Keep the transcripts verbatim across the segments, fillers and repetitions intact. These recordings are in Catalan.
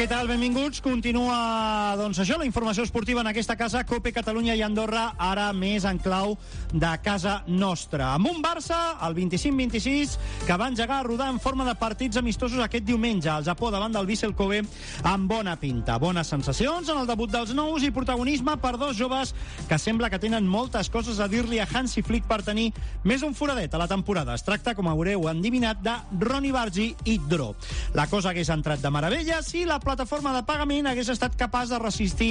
Què tal? Benvinguts. Continua, doncs això, la informació esportiva en aquesta casa, COPE Catalunya i Andorra, ara més en clau de casa nostra. Amb un Barça, el vint-i-cinc vint-i-sis, que va engegar a rodar en forma de partits amistosos aquest diumenge al Japó davant del Vissel Kobe, amb bona pinta. Bones sensacions en el debut dels nous i protagonisme per dos joves que sembla que tenen moltes coses a dir-li a Hansi Flick per tenir més un foradet a la temporada. Es tracta, com haureu endivinat, de Ronny Bargi i Dro. La cosa hagués entrat de meravella si la plataforma de pagament hagués estat capaç de resistir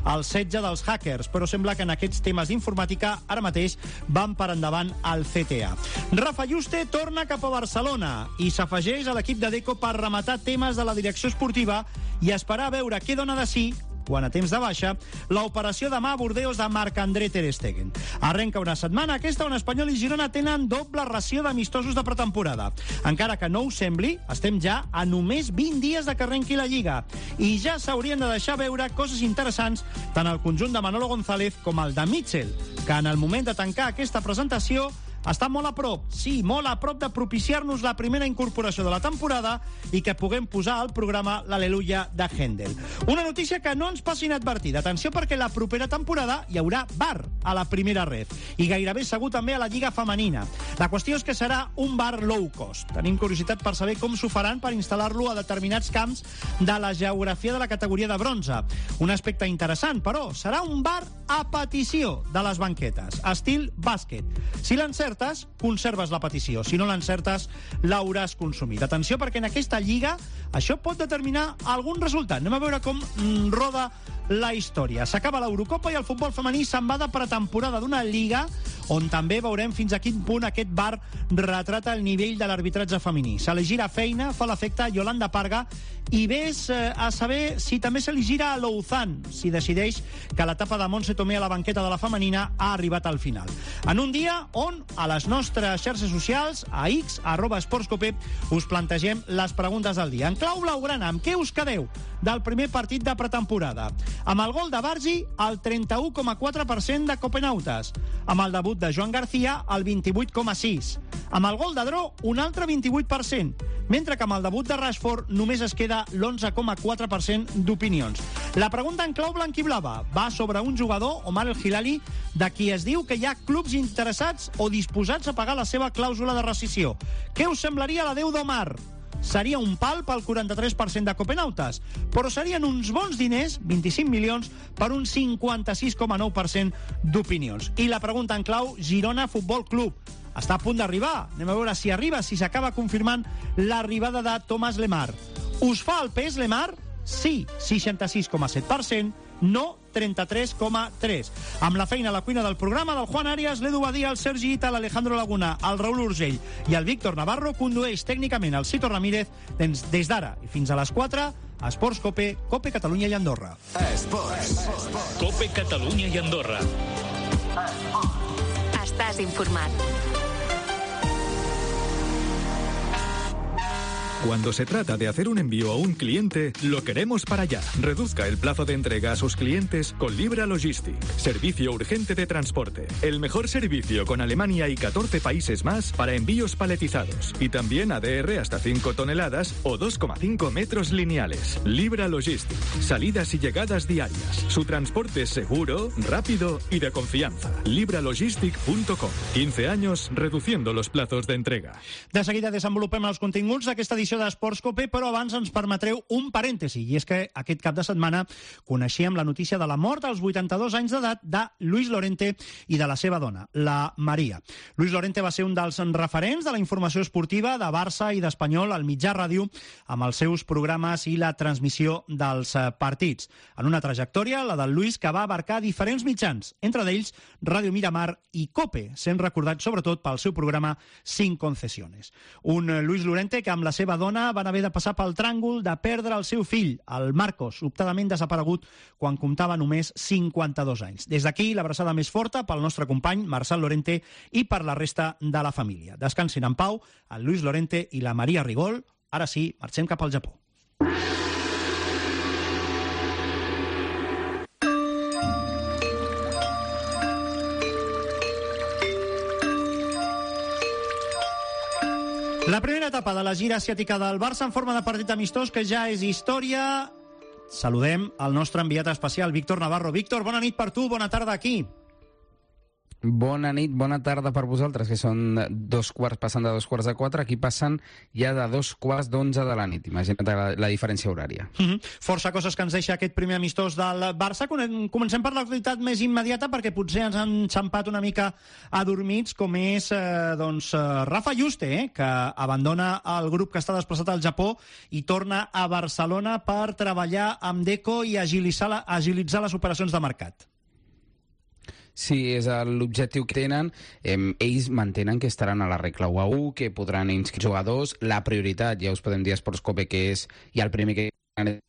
el setge dels hackers, però sembla que en aquests temes d'informàtica ara mateix van per endavant al C T A. Rafa Yuste torna cap a Barcelona i s'afegeix a l'equip de Deco per rematar temes de la direcció esportiva i esperar a veure què dona de si, quan a temps de baixa, l'operació demà a Bordeus de Marc-André Ter Stegen. Arrenca una setmana aquesta on Espanyol i Girona tenen doble ració d'amistosos de pretemporada. Encara que no ho sembli, estem ja a només vint dies de que arrenqui la Lliga i ja s'haurien de deixar veure coses interessants tant al conjunt de Manolo González com al de Mitchell, que en el moment de tancar aquesta presentació està molt a prop, sí, molt a prop de propiciar-nos la primera incorporació de la temporada i que puguem posar al programa l'Aleluia de Händel. Una notícia que no ens passi inadvertida. Atenció, perquè la propera temporada hi haurà V A R a la primera red i gairebé segur també a la Lliga Femenina. La qüestió és que serà un V A R low cost. Tenim curiositat per saber com s'ho faran per instal·lar-lo a determinats camps de la geografia de la categoria de bronze. Un aspecte interessant, però, serà un V A R a petició de les banquetes, estil bàsquet. Si l'encertes, conserves la petició. Si no l'encertes, l'hauràs consumit. Atenció, perquè en aquesta lliga això pot determinar algun resultat. Anem a veure com mm, roda la història. S'acaba l'Eurocopa i el futbol femení se'n va de pretemporada d'una lliga on també veurem fins a quin punt aquest V A R retrata el nivell de l'arbitratge femení. Se li gira feina, fa l'efecte Yolanda Parga, i ves eh, a saber si també se li gira a Louzan, si decideix que l'etapa de Montse Tomé a la banqueta de la femenina ha arribat al final. En un dia on, a les nostres xarxes socials, a X, arroba esportscope, us plantegem les preguntes del dia. En clau blaugrana, amb què us quedeu del primer partit de pretemporada? Amb el gol de Bargi, el trenta-u coma quatre per cent de copenautes. Amb el debut de Joan García, el vint-i-vuit coma sis. Amb el gol de Dro, un altre vint-i-vuit per cent. Mentre que amb el debut de Rashford només es queda l'onze coma quatre per cent d'opinions. La pregunta en clau blanquiblava va sobre un jugador, Omar El Hilali, de qui es diu que hi ha clubs interessats o disposats a pagar la seva clàusula de rescissió. Què us semblaria l'adeu d'Omar? Seria un pal pel quaranta-tres per cent de copenautes, però serien uns bons diners, vint-i-cinc milions, per un cinquanta-sis coma nou per cent d'opinions. I la pregunta en clau, Girona Futbol Club. Està a punt d'arribar. Anem a veure si arriba, si s'acaba confirmant l'arribada de Thomas Lemar. Us fa el pes Lemar? Sí, seixanta-sis coma set per cent, no trenta-tres coma tres. Amb la feina a la cuina del programa del Juan Arias, l'Edu Badia, el Sergi Ita, l'Alejandro Laguna, el Raúl Urgell i el Víctor Navarro, condueix tècnicament el Cito Ramírez des, des d'ara i fins a les quatre a Esports Cope, Cope Catalunya i Andorra. Esports. Cope Catalunya i Andorra. Estàs informat. Cuando se trata de hacer un envío a un cliente, lo queremos para allá. Reduzca el plazo de entrega a sus clientes con Libra Logistic. Servicio urgente de transporte. El mejor servicio con Alemania y catorce países más para envíos paletizados. Y también A D R hasta cinco toneladas o dos coma cinco metros lineales. Libra Logistic. Salidas y llegadas diarias. Su transporte es seguro, rápido y de confianza. libra logistic punto com. quince años reduciendo los plazos de entrega. De seguida desenvolupem els continguts d'aquesta edició d'Esports Cope, però abans ens permetreu un parèntesi, i és que aquest cap de setmana coneixíem la notícia de la mort als vuitanta-dos anys d'edat de Luis Lorente i de la seva dona, la Maria. Luis Lorente va ser un dels referents de la informació esportiva de Barça i d'Espanyol al mitjà ràdio, amb els seus programes i la transmissió dels partits. En una trajectòria, la del Luis, que va abarcar diferents mitjans, entre d'ells Ràdio Miramar i Cope, sent recordat sobretot pel seu programa Sin Concesiones. Un Luis Lorente que amb la seva dona van haver de passar pel tràngol de perdre el seu fill, el Marcos, sobtadament desaparegut quan comptava només cinquanta-dos anys. Des d'aquí, l'abraçada més forta pel nostre company Marçal Lorente i per la resta de la família. Descansin en pau el Luis Lorente i la Maria Rigol. Ara sí, marxem cap al Japó. La primera etapa de la gira asiàtica del Barça en forma de partit amistós que ja és història saludem el nostre enviat especial, Víctor Navarro. Víctor, bona nit per tu, bona tarda aquí. Bona nit, bona tarda per vosaltres, que són dos quarts, passant de dos quarts de quatre, aquí passen ja de dos quarts d'onze de la nit. Imagina't la, la diferència horària. Mm-hmm. Força coses que ens deixa aquest primer amistós del Barça. Comencem per l'actualitat més immediata, perquè potser ens han xampat una mica adormits, com és eh, doncs, Rafa Yuste, eh, que abandona el grup que està desplaçat al Japó i torna a Barcelona per treballar amb Deco i agilitzar, agilitzar les operacions de mercat. Sí, és l'objectiu que tenen. Eh, ells mantenen que estaran a la regla u a u, que podran inscriure jugadors. La prioritat, ja us podem dir a Sportscope, que és ja el primer que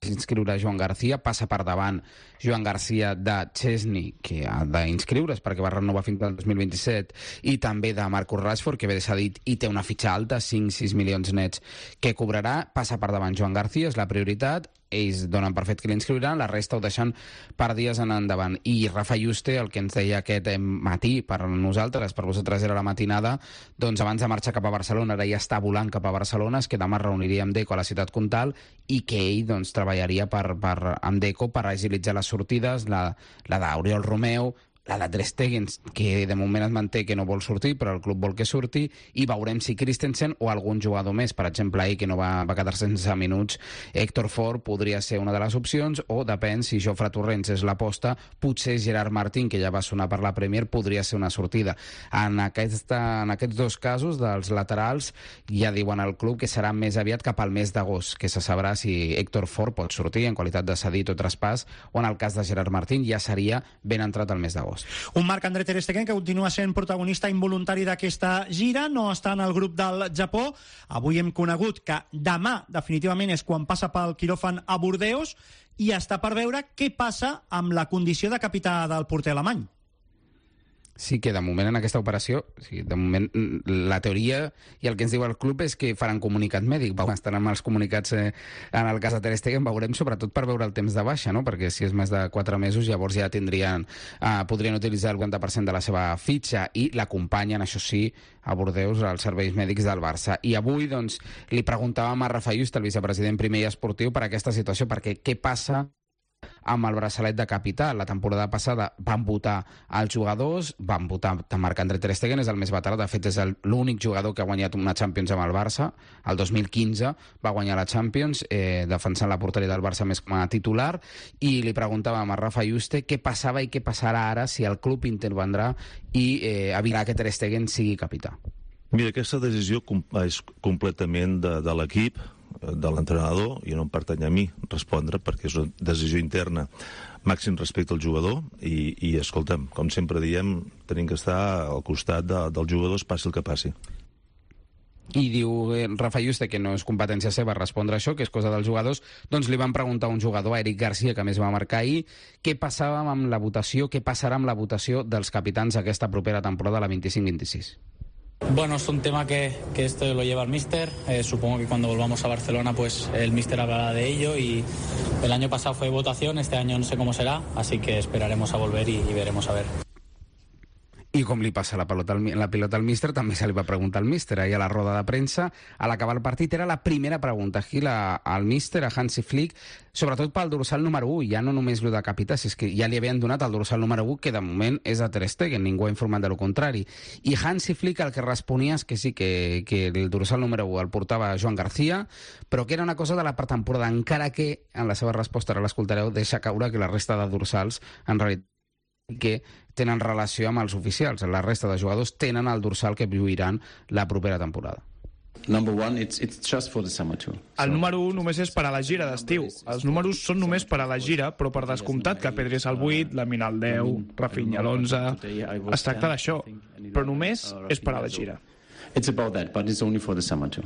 inscriure Joan García, passa per davant Joan García de Chesney, que ha d'inscriure's perquè va renovar fins al dos mil vint-i-set, i també de Marcus Rashford, que ve cedit i té una fitxa alta, cinc a sis milions nets que cobrarà. Passa per davant Joan García, és la prioritat. Ells donen per fet que l'inscriuran, la resta ho deixen per dies en endavant. I Rafa Yuste, el que ens deia aquest matí per nosaltres, per vosaltres era la matinada, doncs abans de marxar cap a Barcelona, ara ja està volant cap a Barcelona, és que demà es reuniria amb Deco a la ciutat comtal i que ell doncs, treballaria per, per, amb Deco per agilitzar les sortides, la, la d'Oriol Romeu, la de Ter Stegen, que de moment es manté que no vol sortir, però el club vol que surti, i veurem si Christensen o algun jugador més, per exemple, ahir que no va, va quedar sense minuts, Héctor Ford podria ser una de les opcions, o depèn si Jofre Torrents és l'aposta, potser Gerard Martín, que ja va sonar per la Premier, podria ser una sortida. En, aquesta, en aquests dos casos dels laterals ja diuen al club que serà més aviat cap al mes d'agost, que se sabrà si Héctor Ford pot sortir en qualitat de cedit o traspàs, o en el cas de Gerard Martín ja seria ben entrat al mes d'agost. Un Marc-André Ter Stegen que continua sent protagonista involuntari d'aquesta gira, no està en el grup del Japó. Avui hem conegut que demà definitivament és quan passa pel quiròfan a Bordeus i està per veure què passa amb la condició de capità del porter alemany. Sí que de moment en aquesta operació, sí, de moment la teoria i el que ens diu el club és que faran comunicat mèdic, estan amb els comunicats eh, en el cas de Ter Stegen, veurem sobretot per veure el temps de baixa, no? Perquè si és més de quatre mesos llavors ja tindrien, eh, podrien utilitzar el quaranta per cent de la seva fitxa i l'acompanyen, això sí, a Bordeus als serveis mèdics del Barça. I avui doncs li preguntàvem a Rafa Yuste, el vicepresident primer i esportiu, per aquesta situació, perquè què passa amb el braçalet de capità. La temporada passada van votar els jugadors, van votar Marc-André Ter Stegen, és el més veterà, de fet és l'únic jugador que ha guanyat una Champions amb el Barça. El dos mil quinze va guanyar la Champions, eh, defensant la porteria del Barça més com a titular, i li preguntàvem a Rafa Yuste què passava i què passarà ara si el club intervendrà i eh, evitarà que Ter Stegen sigui capità. Mira, aquesta decisió és completament de, de l'equip, de l'entrenador, i no em pertany a mi respondre, perquè és una decisió interna. Màxim respecte al jugador i, i escolta'm, com sempre diem, tenim que estar al costat de, dels jugadors, passi el que passi. I diu eh, Rafa Yuste que no és competència seva respondre això, que és cosa dels jugadors. Doncs li van preguntar a un jugador, a Eric Garcia, que més va marcar ahir, què passava amb la votació, què passarà amb la votació dels capitans aquesta propera temporada, la vint-i-cinc vint-i-sis. Bueno, es un tema que, que esto lo lleva el míster. Eh, supongo que cuando volvamos a Barcelona pues el míster hablará de ello, y el año pasado fue votación, este año no sé cómo será, así que esperaremos a volver y, y veremos a ver. I com li passa la pilota, al, la pilota al míster, també se li va preguntar al míster ahir a la roda de premsa. A l'acabar el partit era la primera pregunta aquí la, al míster, a Hansi Flick, sobretot pel dorsal número u, ja no només el de capità, si és que ja li havien donat el dorsal número u, que de moment és a Ter Stegen, ningú ha informat de lo contrari. I Hansi Flick el que responia és que sí, que, que el dorsal número u el portava Joan García, però que era una cosa de la pretemporada, encara que en la seva resposta, ara l'escoltareu, deixa caure que la resta de dorsals en realitat que tenen relació amb els oficials. La resta de jugadors tenen el dorsal que lluiran la propera temporada. Number one, it's, it's just for the summer tour. El número un només és per a la gira d'estiu. Els números són només per a la gira, però per descomptat que Pedri és al vuit, Lamine al deu, Rafinha a l'onze... Es tracta d'això, però només és per a la gira. It's about that, but it's only for the summer tour.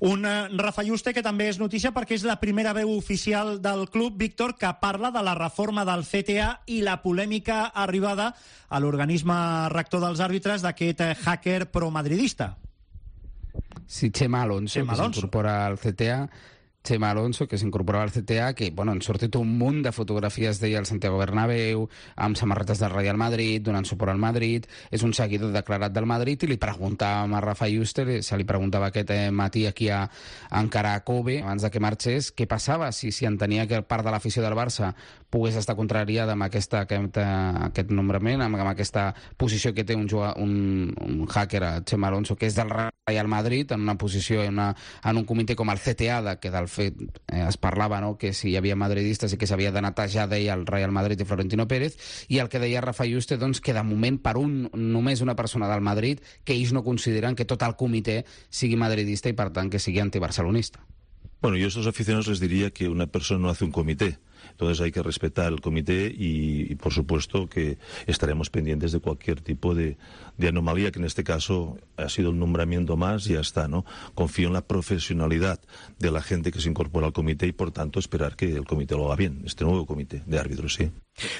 Un Rafa Yuste que també és notícia perquè és la primera veu oficial del club, Víctor, que parla de la reforma del C T A i la polèmica arribada a l'organisme rector dels àrbitres d'aquest hacker promadridista. Sí, Chema Alonso, Chema que s'incorpora al C T A. Chema Alonso, que s'incorporava al C T A, que bueno, han sortit un munt de fotografies d'ell al Santiago Bernabéu, amb samarretes del Real Madrid, donant suport al Madrid, és un seguidor declarat del Madrid, i li preguntàvem a Rafa Yuste, se li preguntava aquest eh, matí aquí a, a encara a Kobe, abans de que marxés, què passava, si, si entenia que part de l'afició del Barça pogués estar contrariada amb aquesta, aquest, aquest nombrament, amb, amb aquesta posició que té un, jugador, un, un hacker, Chema Alonso, que és del Real Madrid, en una posició, en, una, en un comitè com el C T A, que del fet eh, es parlava, no?, que si hi havia madridistes i que s'havia de netejar, deia el Real Madrid i Florentino Pérez, i el que deia Rafa Yuste, doncs, que de moment per un, només una persona del Madrid, que ells no consideren que tot el comitè sigui madridista i per tant que sigui antibarcelonista. Bueno, yo a estos aficionados les diría que una persona no hace un comité. Entonces hay que respetar el comité y, y por supuesto que estaremos pendientes de cualquier tipo de, de anomalía, que en este caso ha sido un nombramiento más y ya está, ¿no? Confío en la profesionalidad de la gente que se incorpora al comité y por tanto esperar que el comité lo haga bien, este nuevo comité de árbitros, sí.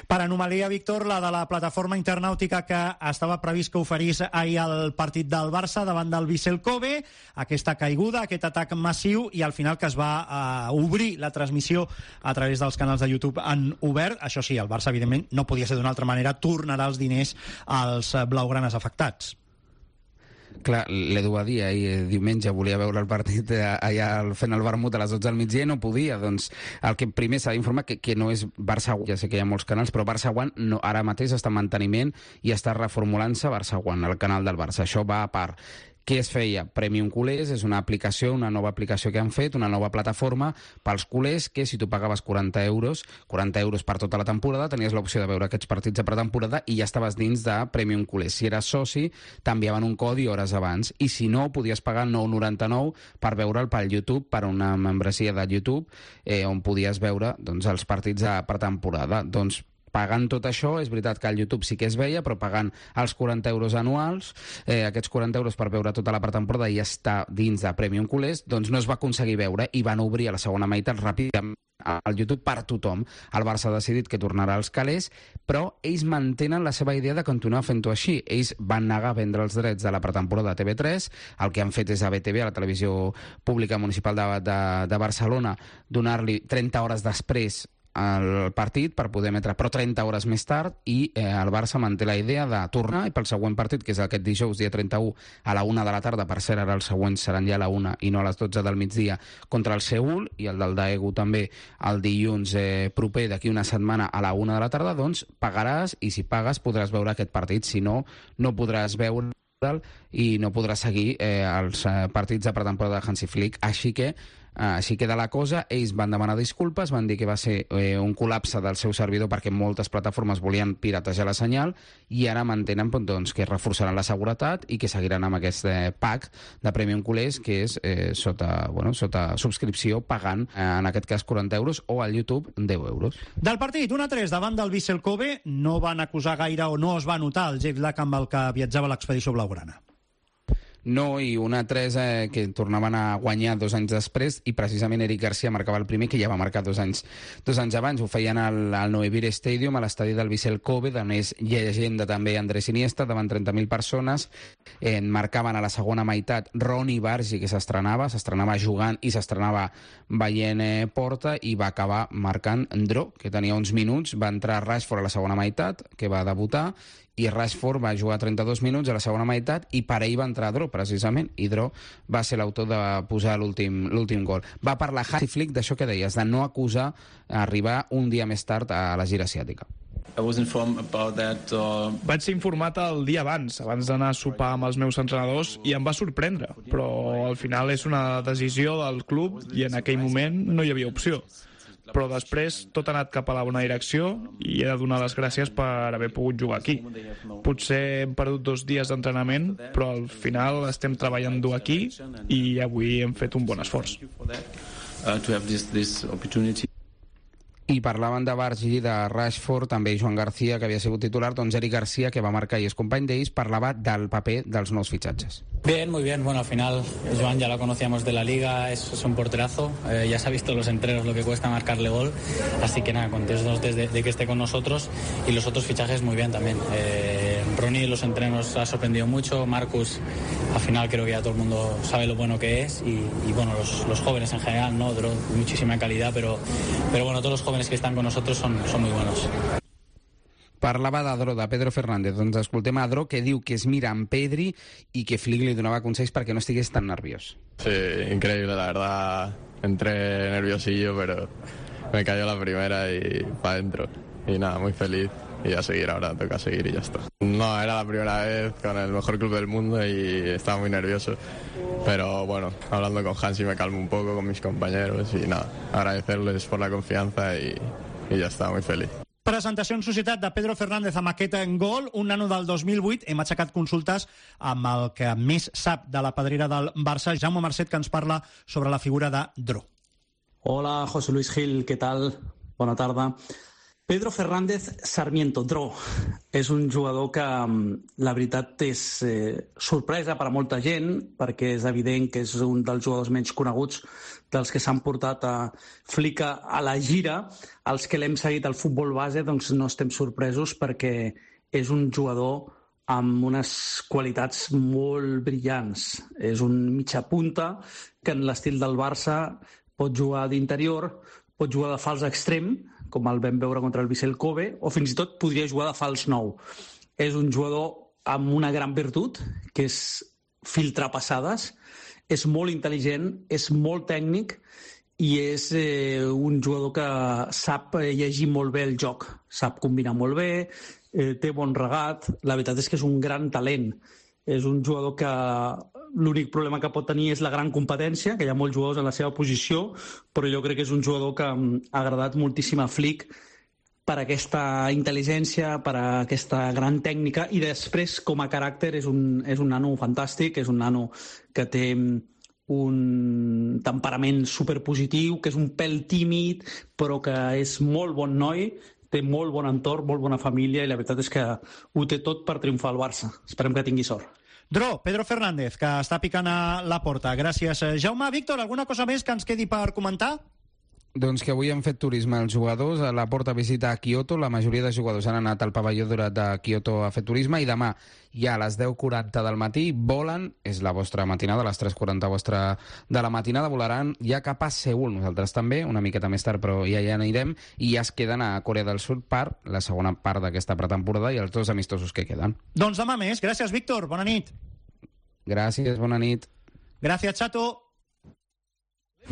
Per anomalia, Víctor, la de la plataforma internàutica que estava previst que oferís ahir el partit del Barça davant del Vissel Kobe, aquesta caiguda, aquest atac massiu, i al final que es va uh, obrir la transmissió a través dels canals de YouTube en obert. Això sí, el Barça, evidentment, no podia ser d'una altra manera, tornarà els diners als blaugranes afectats. Clar, l'Edu va dir ahir diumenge, volia veure el partit allà fent el vermut a les dotze del migdia i no podia. Doncs el que primer s'ha d'informar que, que no és Barça One, ja sé que hi ha molts canals, però Barça One no, ara mateix està en manteniment i està reformulant-se Barça One, el canal del Barça. Això va a part. Què es feia? Premium Culers és una aplicació, una nova aplicació que han fet, una nova plataforma pels culers, que si tu pagaves quaranta euros, quaranta euros per tota la temporada, tenies l'opció de veure aquests partits de pretemporada i ja estaves dins de Premium Culers. Si eres soci, t'enviaven un codi hores abans, i si no, podies pagar nou coma noranta-nou per veure'l pel YouTube, per una membresia de YouTube, eh, on podies veure doncs, els partits de pretemporada. Doncs pagant tot això, és veritat que al YouTube sí que es veia, però pagant els quaranta euros anuals, eh, aquests quaranta euros per veure tota la pretemporada i estar dins de Premium Culers, doncs no es va aconseguir veure i van obrir a la segona meitat ràpidament al YouTube per tothom. El Barça ha decidit que tornarà als calés, però ells mantenen la seva idea de continuar fent-ho així. Ells van negar a vendre els drets de la pretemporada a T V tres, el que han fet és a B T V, a la televisió pública municipal de, de, de Barcelona, donar-li trenta hores després el partit per poder emetre, però trenta hores més tard, i eh, el Barça manté la idea de tornar, i pel següent partit, que és aquest dijous, dia trenta-u, a la una de la tarda, per cert, ara els següents seran ja a la una i no a les dotze del migdia, contra el Seül, i el del Daegu també el dilluns eh, proper, d'aquí una setmana a la una de la tarda, doncs pagaràs, i si pagues podràs veure aquest partit, si no, no podràs veure i no podrà seguir eh, els eh, partits de pretemporada de Hansi Flick. Així que Uh, així queda la cosa. Ells van demanar disculpes, van dir que va ser eh, un col·lapse del seu servidor perquè moltes plataformes volien piratejar la senyal, i ara mantenen doncs, que reforçaran la seguretat i que seguiran amb aquest eh, pack de Premium Culers, que és eh, sota, bueno, sota subscripció, pagant eh, en aquest cas quaranta euros, o al YouTube deu euros. Del partit, un a tres davant del Vissel Kobe, no van acusar gaire o no es va notar el jet lag amb el que viatjava l'expedició blaugrana. No, i un a tres eh, que tornaven a guanyar dos anys després, i precisament Eric Garcia marcava el primer, que ja va marcar dos anys, dos anys abans. Ho feien al, al Noivir Stadium, a l'estadi del Vissel Kobe, d'on és llegenda també Andrés Iniesta, davant trenta mil persones. Eh, marcaven a la segona meitat Ronny Bargi, que s'estrenava, s'estrenava jugant i s'estrenava veient eh, porta, i va acabar marcant Ndro, que tenia uns minuts. Va entrar Rashford a la segona meitat, que va debutar, i Rashford va jugar trenta-dos minuts a la segona meitat, i per ell va entrar Dro, precisament, i Dro va ser l'autor de posar l'últim l'últim gol. Va parlar Hansi Flick d'això que deies, de no acusar arribar un dia més tard a la gira asiàtica. I was informed about that, uh... Vaig ser informat el dia abans, abans d'anar a sopar amb els meus entrenadors, i em va sorprendre, però al final és una decisió del club i en aquell moment no hi havia opció. Però després tot ha anat cap a la bona direcció i he de donar les gràcies per haver pogut jugar aquí. Potser hem perdut dos dies d'entrenament, però al final estem treballant dur aquí i avui hem fet un bon esforç. I parlaven de Bargi, de Rashford, també Joan García, que havia sigut titular. Doncs Eric García, que va marcar i és company d'ells, parlava del paper dels nous fitxatges. Bien, muy bien. Bueno, al final Joan ya lo conocíamos de la liga, es, es un porterazo, eh, ya se ha visto en los entrenos lo que cuesta marcarle gol, así que nada, contentos de, de que esté con nosotros, y los otros fichajes muy bien también. Eh, Ronnie en los entrenos ha sorprendido mucho, Marcus al final creo que ya todo el mundo sabe lo bueno que es y, y bueno, los, los jóvenes en general, ¿no? Dro, muchísima calidad, pero, pero bueno, todos los jóvenes que están con nosotros son, son muy buenos. Parlava de Dro, de Pedro Fernández. Doncs escoltem a Dro, que diu que es mira en Pedri i que Flick li donava consells perquè no estigués tan nerviós. Sí, increíble, la verdad. Entré nerviosillo, pero me cayó la primera y para adentro. Y nada, muy feliz. Y a seguir ahora, toca seguir y ya está. No, era la primera vez con el mejor club del mundo y estaba muy nervioso. Pero bueno, hablando con Hansi me calmo un poco, con mis compañeros y nada, agradecerles por la confianza y, y ya está, muy feliz. Presentació en societat de Pedro Fernández amb aquest gol, un nano del dos mil vuit. Hem aixecat consultes amb el que més sap de la pedrera del Barça, Jaume Marcet, que ens parla sobre la figura de Dro. Hola, José Luis Gil, què tal? Bona tarda. Pedro Fernández Sarmiento, Dro, és un jugador que la veritat és eh, sorpresa per a molta gent, perquè és evident que és un dels jugadors menys coneguts dels que s'han portat a Flick a la gira. Els que l'hem seguit al futbol base doncs no estem sorpresos perquè és un jugador amb unes qualitats molt brillants. És un mitja punta que en l'estil del Barça pot jugar d'interior, pot jugar de fals extrem, com el vam veure contra el Vissel Kobe, o fins i tot podria jugar de fals nou. És un jugador amb una gran virtut, que és filtrar passades, és molt intel·ligent, és molt tècnic i és eh, un jugador que sap llegir molt bé el joc, sap combinar molt bé, eh, té bon regat, la veritat és que és un gran talent. És un jugador que l'únic problema que pot tenir és la gran competència, que hi ha molts jugadors en la seva posició, però jo crec que és un jugador que ha agradat moltíssim a Flick per aquesta intel·ligència, per aquesta gran tècnica, i després, com a caràcter, és un, és un nano fantàstic, és un nano que té un temperament superpositiu, que és un pèl tímid, però que és molt bon noi, té molt bon entorn, molt bona família, i la veritat és que ho té tot per triomfar al Barça. Esperem que tingui sort. Dro, Pedro Fernández, que està picant a la porta. Gràcies, Jaume. Víctor, alguna cosa més que ens quedi per comentar? Doncs que avui han fet turisme els jugadors, a la porta visita a Kyoto, la majoria de jugadors han anat al pavelló Dorat de Kyoto a fer turisme, i demà ja a les deu quaranta del matí volen, és la vostra matinada, a les tres quaranta vostra de la matinada, volaran ja cap a Seül, nosaltres també, una miqueta més tard, però ja hi anirem, i ja es queden a Corea del Sud per la segona part d'aquesta pretemporada i els dos amistosos que queden. Doncs demà més. Gràcies, Víctor. Bona nit. Gràcies, bona nit. Gràcies, Chato.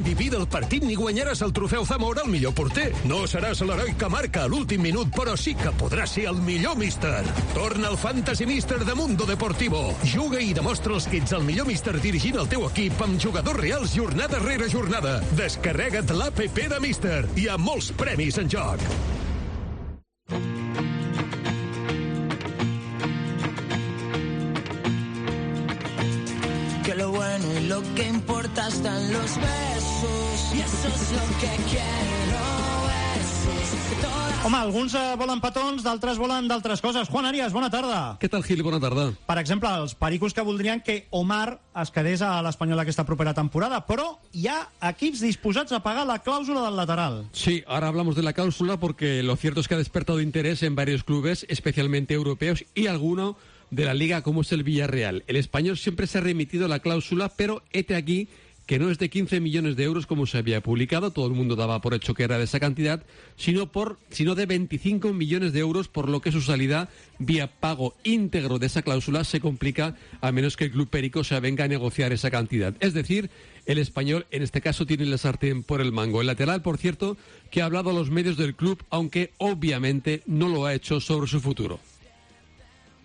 Vivi del partit ni guanyaràs el trofeu Zamora al millor porter. No seràs l'heroi que marca a l'últim minut, però sí que podràs ser el millor míster. Torna al Fantasy Míster de Mundo Deportivo. Juga i demostra els que ets el millor míster dirigint el teu equip amb jugadors reals jornada rere jornada. Descarrega't l'A P P de Míster. Hi ha molts premis en joc. Que lo bueno y lo que importa están los besos y eso es lo que quiero, besos. Todas... Home, alguns eh, volen petons, d'altres volen d'altres coses. Juan Arias, bona tarda. Què tal, Gil? Bona tarda. Per exemple, els pericos que voldrien que Omar es quedés a l'Espanyol aquesta propera temporada, però hi ha equips disposats a pagar la clàusula del lateral. Sí, ahora hablamos de la cláusula porque lo cierto es que ha despertado interés en varios clubes, especialmente europeos, y alguno de la liga como es el Villarreal. El español siempre se ha remitido a la cláusula, pero hete aquí que no es de quince millones de euros como se había publicado, todo el mundo daba por hecho que era de esa cantidad, sino, por, sino de veinticinco millones de euros, por lo que su salida vía pago íntegro de esa cláusula se complica a menos que el club perico se avenga a negociar esa cantidad. Es decir, el español en este caso tiene la sartén por el mango. El lateral, por cierto, que ha hablado a los medios del club, aunque obviamente no lo ha hecho sobre su futuro.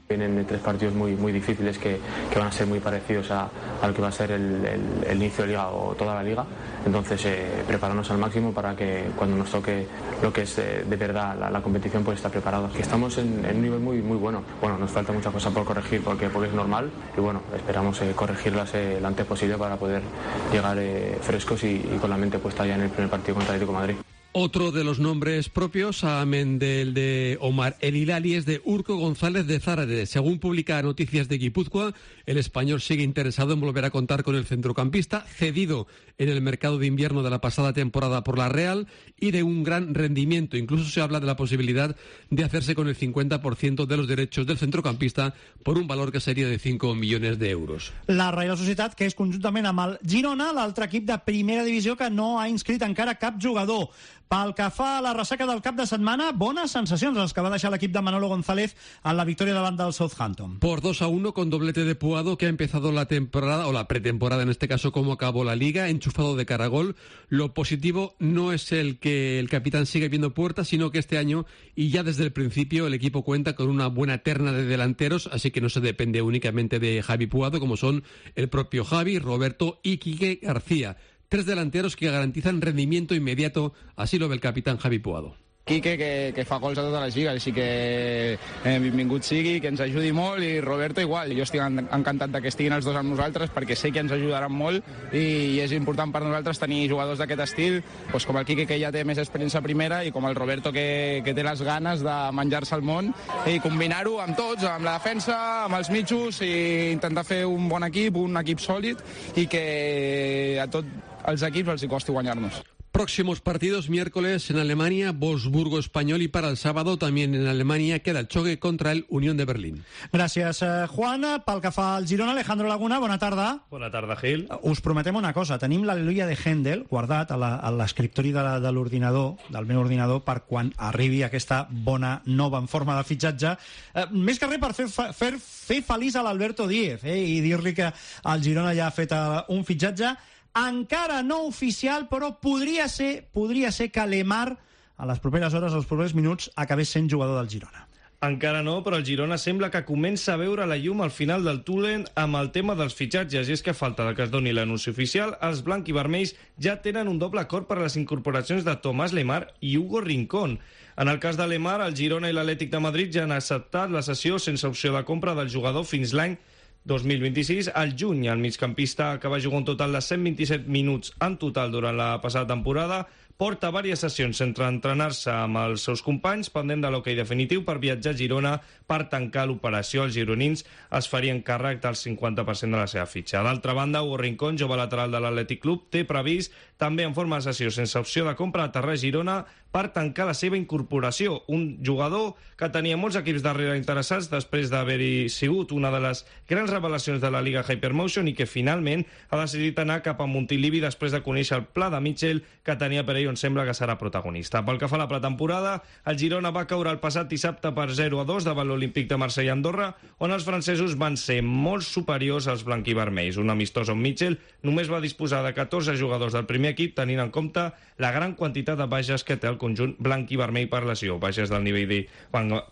Vienen tres partidos muy, muy difíciles que, que van a ser muy parecidos a, a lo que va a ser el, el, el inicio de liga o toda la liga. Entonces, eh, prepararnos al máximo para que cuando nos toque lo que es eh, de verdad la, la competición, pues estar preparados. Que estamos en, en un nivel muy, muy bueno. Bueno, nos falta muchas cosas por corregir porque, porque es normal y bueno, esperamos eh, corregirlas eh, lo antes posible para poder llegar eh, frescos y, y con la mente puesta ya en el primer partido contra el Atlético de Madrid. Otro de los nombres propios, amén del de Omar El Hilali, es de Urko González de Zárate. Según publica Noticias de Guipúzcoa, el español sigue interesado en volver a contar con el centrocampista, cedido en el mercado de invierno de la pasada temporada por la Real y de un gran rendimiento. Incluso se habla de la posibilidad de hacerse con el cincuenta por ciento de los derechos del centrocampista por un valor que sería de cinco millones de euros. La Reial Societat, que és conjuntament amb el Girona, l'altre equip de primera divisió que no ha inscrit encara cap jugador. Pel que fa a la ressaca del cap de setmana, bones sensacions els que va deixar l'equip de Manolo González en la victòria davant del Southampton. Por dos a uno con doblete de Puado, que ha empezado la temporada, o la pretemporada en este caso, como acabó la Liga, enchufado de caragol. Lo positivo no es el que el capitán sigue viendo puertas, sino que este año, y ya desde el principio, el equipo cuenta con una buena terna de delanteros, así que no se depende únicamente de Javi Puado, como son el propio Javi, Roberto y Quique García. Tres delanteros que garantizan rendimiento inmediato, así lo ve el capitán Javi Puado. Quique, que, que fa gols a totes les lligues, així que eh, benvingut sigui, que ens ajudi molt, i Roberto igual. Jo estic encantat que estiguin els dos amb nosaltres perquè sé que ens ajudaran molt i, i és important per nosaltres tenir jugadors d'aquest estil, doncs com el Quique, que ja té més experiència a primera, i com el Roberto, que, que té les ganes de menjar-se el món, i combinar-ho amb tots, amb la defensa, amb els mitjos, i intentar fer un bon equip, un equip sòlid, i que a tots els equips els hi costi guanyar-nos. Próximos partidos: miércoles en Alemania, Wolfsburgo Español, y para el sábado también en Alemania queda el choque contra el Unión de Berlín. Gràcies, eh, Juan. Pel que fa al Girona, Alejandro Laguna, bona tarda. Bona tarda, Gil. Us prometem una cosa, tenim l'Al·leluia de Händel guardat a l'escriptori de l'ordinador, del meu ordinador, per quan arribi aquesta bona nova en forma de fitxatge. Eh, més que res per fer, fer, fer feliç a l'Alberto Díez, eh, i dir-li que el Girona ja ha fet uh, un fitxatge encara no oficial, però podria ser, podria ser que Lemar a les properes hores, als propers minuts, acabés sent jugador del Girona. Encara no, però el Girona sembla que comença a veure la llum al final del túnel amb el tema dels fitxatges, i és que a falta de que es doni l'anunci oficial, els blanc i vermells ja tenen un doble acord per a les incorporacions de Tomàs Lemar i Hugo Rincón. En el cas de Lemar, el Girona i l'Atlètic de Madrid ja han acceptat la cessió sense opció de compra del jugador fins l'any dos mil vint-i-sis. Al juny, el migcampista, que va jugar un total de cent vint-i-set minuts en total durant la passada temporada, porta diverses sessions entre entrenar-se amb els seus companys, pendent de l'hoquei definitiu per viatjar a Girona per tancar l'operació. Els gironins es farien càrrec del cinquanta per cent de la seva fitxa. D'altra banda, Hugo Rincón, jove lateral de l'Atlètic Club, té previst, també en forma de sessió sense opció de compra, aterrar a Girona per tancar la seva incorporació. Un jugador que tenia molts equips darrere interessats després d'haver-hi sigut una de les grans revelacions de la Liga Hypermotion i que finalment ha decidit anar cap a Montilivi després de conèixer el pla de Mitchell que tenia per ell, on sembla que serà protagonista. Pel que fa a la pretemporada, el Girona va caure el passat dissabte per zero a dos davant l'Olímpic de Marsella i Andorra, on els francesos van ser molt superiors als blanquivermells. Un amistós on Mitchell només va disposar de catorze jugadors del primer equip, tenint en compte la gran quantitat de baixes que té el conjunt blanc i vermell per lesió. Baixes del nivell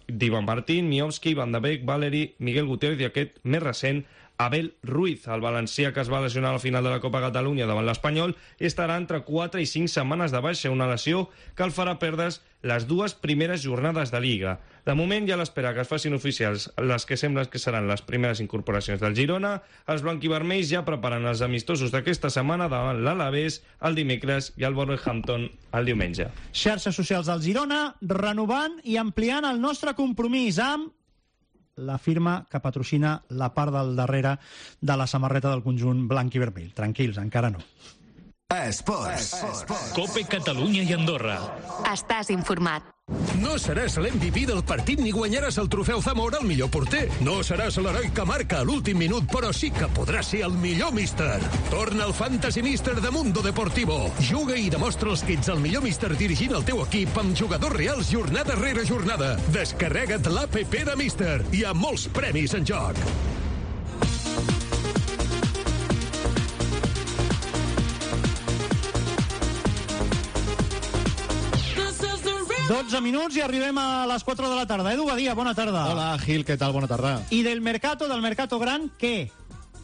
d'Ivan Martín, Miovski, Van de Beek, Valeri, Miguel Gutiérrez i aquest més recent, Abel Ruiz. El valencià, que es va lesionar a la final de la Copa Catalunya davant l'Espanyol, estarà entre quatre i cinc setmanes de baixa, una lesió que el farà perdre's les dues primeres jornades de Liga. De moment, ja a l'espera que es facin oficials les que semblen que seran les primeres incorporacions del Girona, els blanquivermells ja preparen els amistosos d'aquesta setmana davant l'Alavés el dimecres i el Wolverhampton el diumenge. Xarxes socials del Girona, renovant i ampliant el nostre compromís amb la firma que patrocina la part del darrere de la samarreta del conjunt blanc i vermell. Tranquils, encara no. Esports. Cope Catalunya i Andorra. Estàs informat. No seràs l'M V P del partit ni guanyaràs el trofeu Zamora al millor porter. No seràs l'heroi que marca a l'últim minut, però sí que podràs ser el millor míster. Torna el Fantasy Mister de Mundo Deportivo. Juga i demostra els que ets el millor míster dirigint el teu equip amb jugadors reals jornada rere jornada. Descarrega't l'A P P de Mister. Hi ha molts premis en joc. dotze minuts i arribem a les quatre de la tarda. Edu Badia, bona tarda. Hola, Gil, què tal? Bona tarda. I del mercato, del mercato gran, què?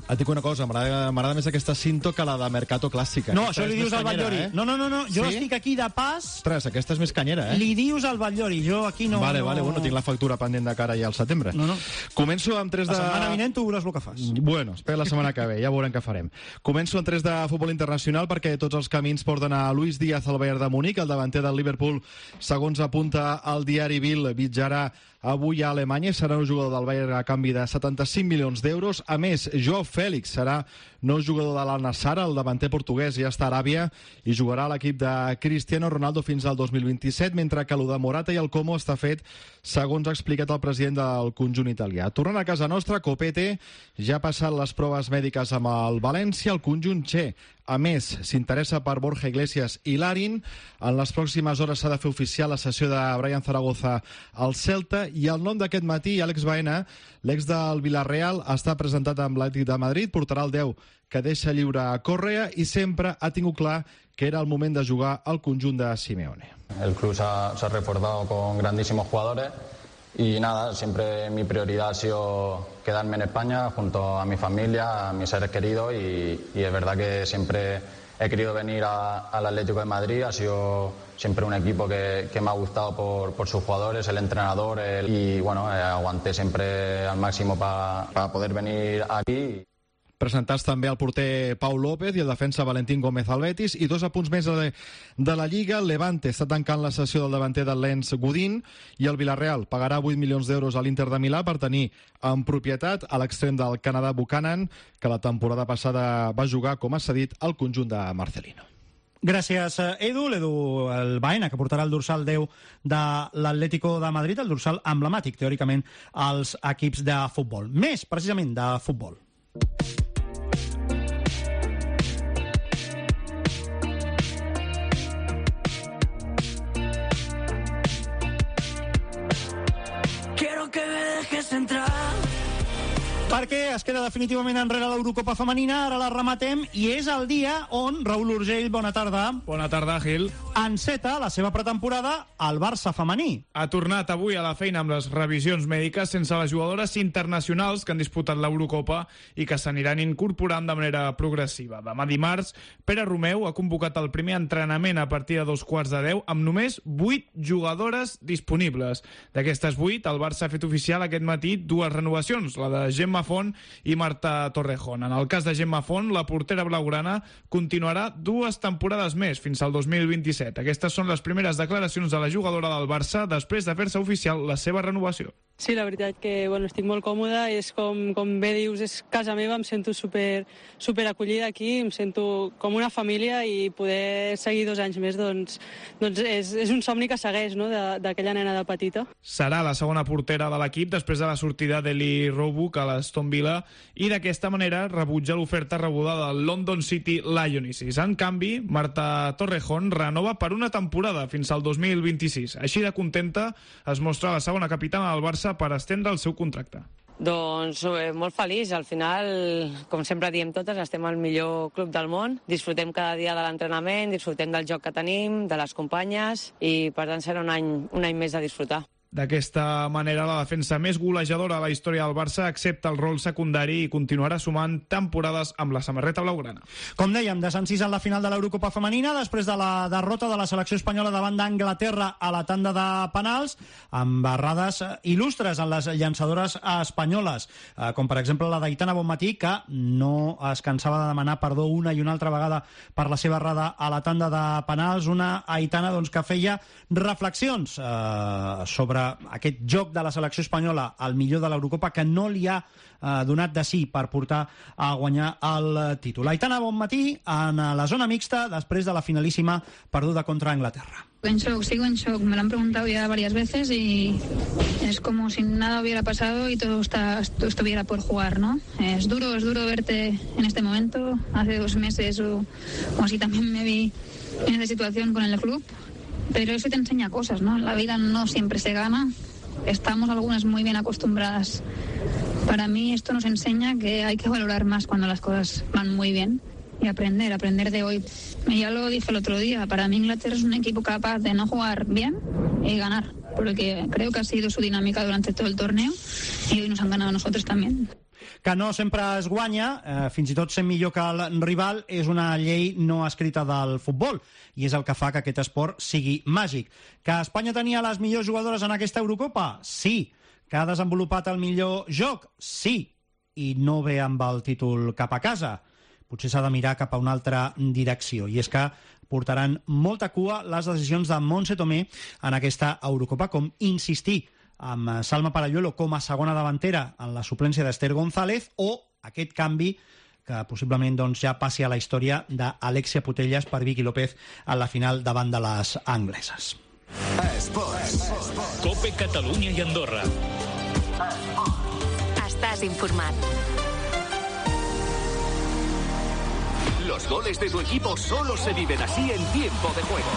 Et dic una cosa, m'agrada més aquesta Cinto que la de Mercato Clàssica. No, això li dius al Batllori. Eh? No, no, no, no, jo sí? estic aquí de pas... Ostres, aquesta és més canyera, eh? Li dius al Batllori, jo aquí no... Vale, no... vale, bueno, tinc la factura pendent de cara ja al setembre. No, no. Començo amb tres de... La setmana vinent tu veuràs el que fas. Bueno, espera la setmana que ve, ja veurem què farem. Començo amb tres de futbol internacional perquè tots els camins porten a Luis Díaz al Bayern de Múnich, el davanter del Liverpool, segons apunta el diari Bild, viatjarà avui a Alemanya, serà un jugador del Bayern a canvi de setanta-cinc milions d'euros. A més, Joao Félix serà nou jugador de l'Al-Nassr, el davanter portuguès ja està a Aràbia i jugarà a l'equip de Cristiano Ronaldo fins al dos mil vint-i-set, mentre que el de Morata i el Como està fet, segons ha explicat el president del conjunt italià. Tornant a casa nostra, Copete ja ha passat les proves mèdiques amb el València, el conjunt Che. A més, s'interessa per Borja Iglesias i Larin. En les pròximes hores s'ha de fer oficial la cessió de Brian Zaragoza al Celta i el nom d'aquest matí, Àlex Baena, l'ex del Villarreal, està presentat amb l'Atlètic de Madrid, portarà el deu que deixa lliure a Correa i sempre ha tingut clar que era el moment de jugar al conjunt de Simeone. El club se ha, se ha reforzado con grandísimos jugadores y nada, siempre mi prioridad ha sido quedarme en España junto a mi familia, a mis seres queridos y, y es verdad que siempre he querido venir a, al Atlético de Madrid, ha sido siempre un equipo que, que me ha gustado por, por sus jugadores, el entrenador el, y bueno, eh, aguanté siempre al máximo para pa poder venir aquí. Presentats també el porter Pau López i el defensa Valentín Gómez al Betis. I dos apunts més de, de la Lliga. El Levante està tancant la sessió del davanter del Lens Godín i el Villarreal pagarà vuit milions d'euros a l'Inter de Milà per tenir en propietat a l'extrem del Canadà Buchanan, que la temporada passada va jugar com a cedit al conjunt de Marcelino. Gràcies, Edu. L'Edu el Baena, que portarà el dorsal deu de l'Atlético de Madrid, el dorsal emblemàtic, teòricament, als equips de futbol. Més, precisament, de futbol. Quiero que me dejes entrar. Perquè es queda definitivament enrere l'Eurocopa femenina, ara la rematem, i és el dia on, Raül Urgell, bona tarda. Bona tarda, Gil. Enceta la seva pretemporada al Barça femení. Ha tornat avui a la feina amb les revisions mèdiques sense les jugadores internacionals que han disputat l'Eurocopa i que s'aniran incorporant de manera progressiva. Demà dimarts, Pere Romeu ha convocat el primer entrenament a partir de dos quarts de deu amb només vuit jugadores disponibles. D'aquestes vuit, el Barça ha fet oficial aquest matí dues renovacions, la de Gemma Font i Marta Torrejón. En el cas de Gemma Font, la portera blaugrana continuarà dues temporades més, fins al dos mil vint-i-set. Aquestes són les primeres declaracions de la jugadora del Barça després de fer-se oficial la seva renovació. Sí, la veritat que bueno, estic molt còmoda, és com, com bé dius, és casa meva, em sento super, super acollida aquí, em sento com una família i poder seguir dos anys més doncs, doncs és, és un somni que segueix, no?, d'aquella nena de petita. Serà la segona portera de l'equip després de la sortida d'Eli Roebuck a l'Aston Villa i d'aquesta manera rebutja l'oferta rebuda del London City Lionesses. En canvi, Marta Torrejón renova per una temporada fins al dos mil vint-i-sis. Així de contenta es mostra la segona capitana del Barça per estendre el seu contracte. Doncs eh, molt feliç. Al final, com sempre diem totes, estem al millor club del món. Disfrutem cada dia de l'entrenament, disfrutem del joc que tenim, de les companyes i per tant serà un any, un any més de disfrutar. D'aquesta manera, la defensa més golejadora de la història del Barça accepta el rol secundari i continuarà sumant temporades amb la samarreta blaugrana. Com dèiem, desencís en la final de l'Eurocopa femenina després de la derrota de la selecció espanyola davant d'Anglaterra a la tanda de penals, amb errades il·lustres en les llançadores espanyoles, com per exemple la d'Aitana Bonmatí, que no es cansava de demanar perdó una i una altra vegada per la seva errada a la tanda de penals. Una Aitana doncs, que feia reflexions eh, sobre aquest joc de la selecció espanyola al millor de l'Eurocopa que no li ha eh, donat de sí per portar a guanyar el títol. Aitana Bonmatí en la zona mixta després de la finalíssima perduda contra Anglaterra. En shock, sigo en shock. Me lo han preguntado ya varias veces y es como si nada hubiera pasado y todo, está, todo estuviera por jugar, ¿no? Es duro, es duro verte en este momento. Hace dos meses o, o así también me vi en esta situación con el club. Pero eso te enseña cosas, ¿no? La vida no siempre se gana. Estamos algunas muy bien acostumbradas. Para mí esto nos enseña que hay que valorar más cuando las cosas van muy bien y aprender, aprender de hoy. Y ya lo dije el otro día, para mí Inglaterra es un equipo capaz de no jugar bien y ganar, porque creo que ha sido su dinámica durante todo el torneo y hoy nos han ganado a nosotros también. que no sempre es guanya, eh, fins i tot sent millor que el rival, és una llei no escrita del futbol, i és el que fa que aquest esport sigui màgic. Que Espanya tenia les millors jugadores en aquesta Eurocopa? Sí. Que ha desenvolupat el millor joc? Sí. I no ve amb el títol cap a casa. Potser s'ha de mirar cap a una altra direcció, i és que portaran molta cua les decisions de Montse Tomé en aquesta Eurocopa, com insistir amb Salma Paralluelo com a segona davantera en la suplència d'Esther González, o aquest canvi que possiblement doncs, ja passi a la història d'Alexia Putellas per Vicky López a la final davant de les angleses. Esports. Cope Catalunya i Andorra. Estàs informat. Los goles de tu equipo solo se viven así en tiempo de juego.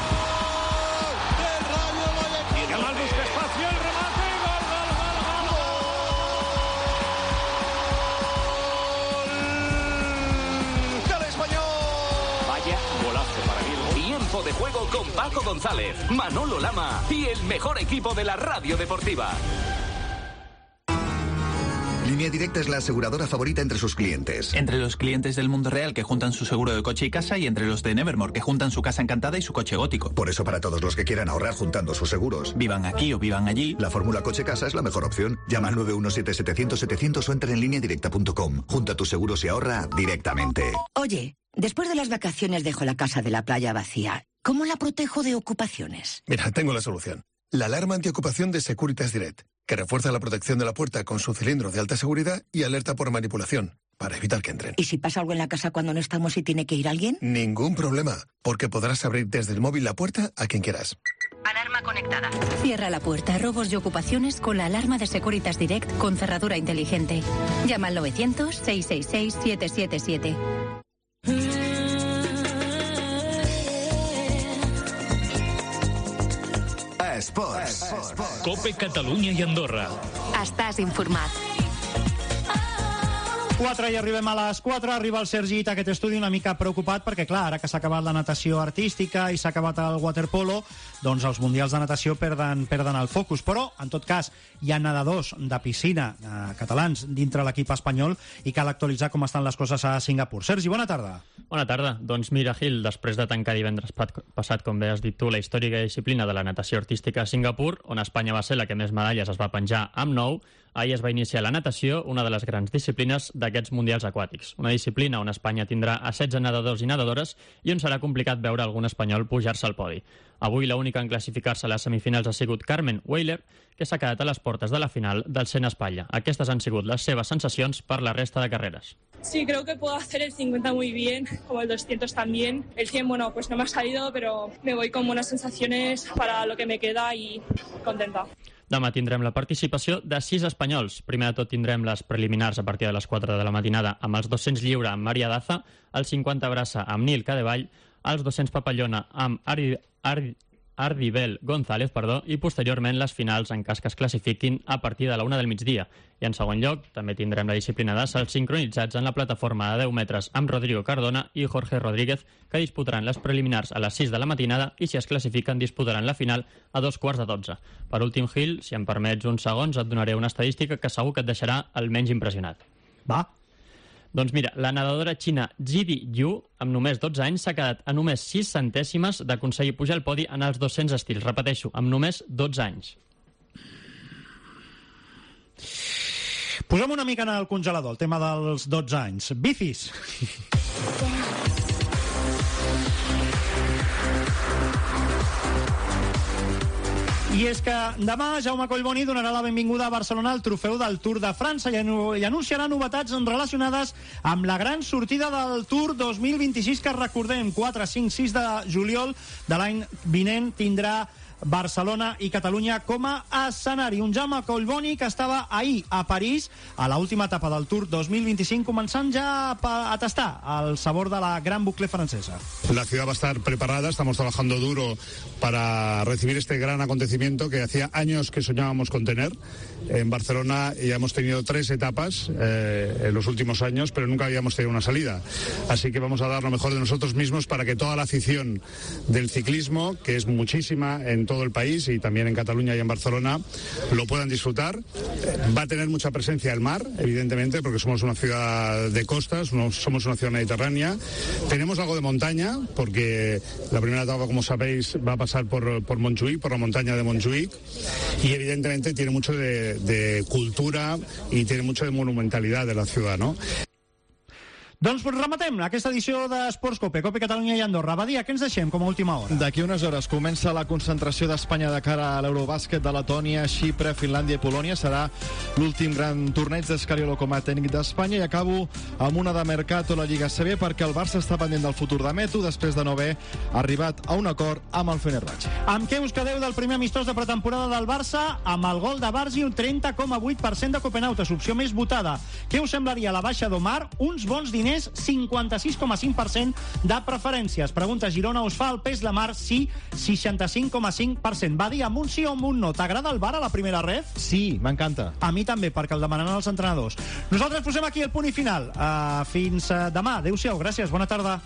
Yamal busca espacio, el remate, gol, gol, gol, gol. ¡Del Español! Vaya golazo para mí. Tiempo de juego con Paco González, Manolo Lama y el mejor equipo de la radio deportiva. Línea Directa es la aseguradora favorita entre sus clientes. Entre los clientes del mundo real que juntan su seguro de coche y casa, y entre los de Nevermore que juntan su casa encantada y su coche gótico. Por eso, para todos los que quieran ahorrar juntando sus seguros, vivan aquí o vivan allí, la fórmula coche-casa es la mejor opción. Llama al nueve uno siete setecientos setecientos o entra en línea directa punto com. Junta tus seguros y ahorra directamente. Oye, después de las vacaciones dejo la casa de la playa vacía. ¿Cómo la protejo de ocupaciones? Mira, tengo la solución. La alarma antiocupación de Securitas Direct, que refuerza la protección de la puerta con su cilindro de alta seguridad y alerta por manipulación, para evitar que entren. ¿Y si pasa algo en la casa cuando no estamos y tiene que ir alguien? Ningún problema, porque podrás abrir desde el móvil la puerta a quien quieras. Alarma conectada. Cierra la puerta a robos y ocupaciones con la alarma de Securitas Direct con cerradura inteligente. Llama al novecientos, seiscientos sesenta y seis, setecientos setenta y siete. Esports. Cope Catalunya i Andorra. Estàs informat. quatre i arribem a les quatre, arriba el Sergi a aquest estudi una mica preocupat perquè, clar, ara que s'ha acabat la natació artística i s'ha acabat el waterpolo, doncs els mundials de natació perden, perden el focus. Però, en tot cas, hi ha nedadors de piscina eh, catalans dintre l'equip espanyol i cal actualitzar com estan les coses a Singapur. Sergi, bona tarda. Bona tarda. Doncs mira, Gil, després de tancar divendres passat, com bé has dit tu, la històrica disciplina de la natació artística a Singapur, on Espanya va ser la que més medalles es va penjar amb nou, ahir es va iniciar la natació, una de les grans disciplines d'aquests mundials aquàtics. Una disciplina on Espanya tindrà a setze nedadors i nedadores i on serà complicat veure algun espanyol pujar-se al podi. Avui l'única en classificar-se a les semifinals ha sigut Carmen Weiler, que s'ha quedat a les portes de la final del cent espatlla. Aquestes han sigut les seves sensacions per la resta de carreres. Sí, creo que puedo hacer el cincuenta muy bien, como el doscientos también. El cien, bueno, pues no me ha salido, pero me voy con buenas sensaciones para lo que me queda y contenta. Demà tindrem la participació de sis espanyols. Primer de tot tindrem les preliminars a partir de les quatre de la matinada amb els dos-cents lliure amb Maria Daza, els cinquanta braça amb Nil Cadevall, els dos-cents papallona amb Ardi, Ardi, Ardibel González, perdó, i posteriorment les finals en cas que es classifiquin a partir de la una del migdia. I en segon lloc també tindrem la disciplina de salts sincronitzats en la plataforma de deu metres amb Rodrigo Cardona i Jorge Rodríguez, que disputaran les preliminars a les sis de la matinada i si es classifiquen disputaran la final a dos quarts de dotze. Per últim, Gil, si em permets uns segons, et donaré una estadística que segur que et deixarà almenys impressionat. Va. Doncs mira, la nedadora xina Jidi Yu, amb només dotze anys, s'ha quedat a només sis centèsimes d'aconseguir pujar al podi en els dos-cents estils. Repeteixo, amb només dotze anys. Posem una mica en el congelador, el tema dels dotze anys. Bicis. I és que demà Jaume Collboni donarà la benvinguda a Barcelona al trofeu del Tour de França i anunciarà novetats relacionades amb la gran sortida del Tour dos mil vint-i-sis, que recordem, quatre, cinc, sis de juliol de l'any vinent tindrà Barcelona i Catalunya com a escenari. Un Jaume Collboni que estava ahir a París a l'última etapa del Tour dos mil vint-i-cinc, començant ja a tastar el sabor de la gran bucle francesa. La ciudad va a estar preparada, estamos trabajando duro para recibir este gran acontecimiento que hacía años que soñábamos con tener. En Barcelona ya hemos tenido tres etapas eh, en los últimos años, pero nunca habíamos tenido una salida. Así que vamos a dar lo mejor de nosotros mismos para que toda la afición del ciclismo, que es muchísima en todo el país y también en Cataluña y en Barcelona lo puedan disfrutar. Va a tener mucha presencia el mar, evidentemente, porque somos una ciudad de costas, somos una ciudad mediterránea. Tenemos algo de montaña, porque la primera etapa, como sabéis, va a pasar por, por Montjuïc, por la montaña de Montjuïc, y evidentemente tiene mucho de, de cultura y tiene mucho de monumentalidad de la ciudad, ¿no? Doncs rematem aquesta edició d'Esports Cope, Cope Catalunya i Andorra. Badia, què ens deixem com a última hora? D'aquí unes hores comença la concentració d'Espanya de cara a l'Eurobàsquet de Letònia, Xipre, Finlàndia i Polònia. Serà l'últim gran torneig d'Escariolo com a tècnic d'Espanya, i acabo amb una de Mercato, la Lliga C B, perquè el Barça està pendent del futur de Meto després de no haver arribat a un acord amb el Fenerbahçe. Amb què us quedeu del primer amistós de pretemporada del Barça? Amb el gol de Bargi, un trenta coma vuit per cent de copenautes, opció més votada. Què us semblaria la baixa d'Omar? Uns bons diners, cinquanta-sis coma cinc per cent de preferències. Pregunta Girona, us fa el pes la mar? Sí, seixanta-cinc coma cinc per cent. Va dir amb un sí o amb un no. T'agrada el V A R a la primera ref? Sí, m'encanta. A mi també, perquè el demanen els entrenadors. Nosaltres posem aquí el punt i final. Uh, fins uh, demà. Adéu-siau, gràcies, bona tarda.